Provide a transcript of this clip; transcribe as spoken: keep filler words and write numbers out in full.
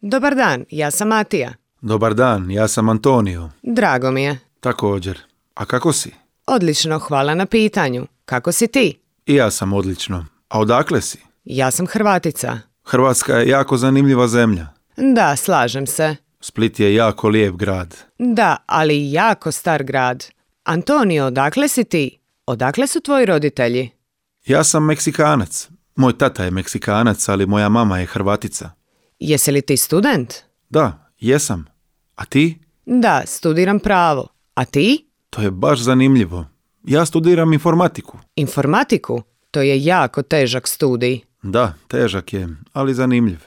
Dobar dan, ja sam Matija. Dobar dan, ja sam Antonio. Drago mi je. Također. A kako si? Odlično, hvala na pitanju. Kako si ti? I ja sam odlično. A odakle si? Ja sam Hrvatica. Hrvatska je jako zanimljiva zemlja. Da, slažem se. Split je jako lijep grad. Da, ali i jako star grad. Antonio, odakle si ti? Odakle su tvoji roditelji? Ja sam Meksikanac. Moj tata je Meksikanac, ali moja mama je Hrvatica. Jesi li ti student? Da, jesam. A ti? Da, studiram pravo. A ti? To je baš zanimljivo. Ja studiram informatiku. Informatiku? To je jako težak studij. Da, težak je, ali zanimljiv.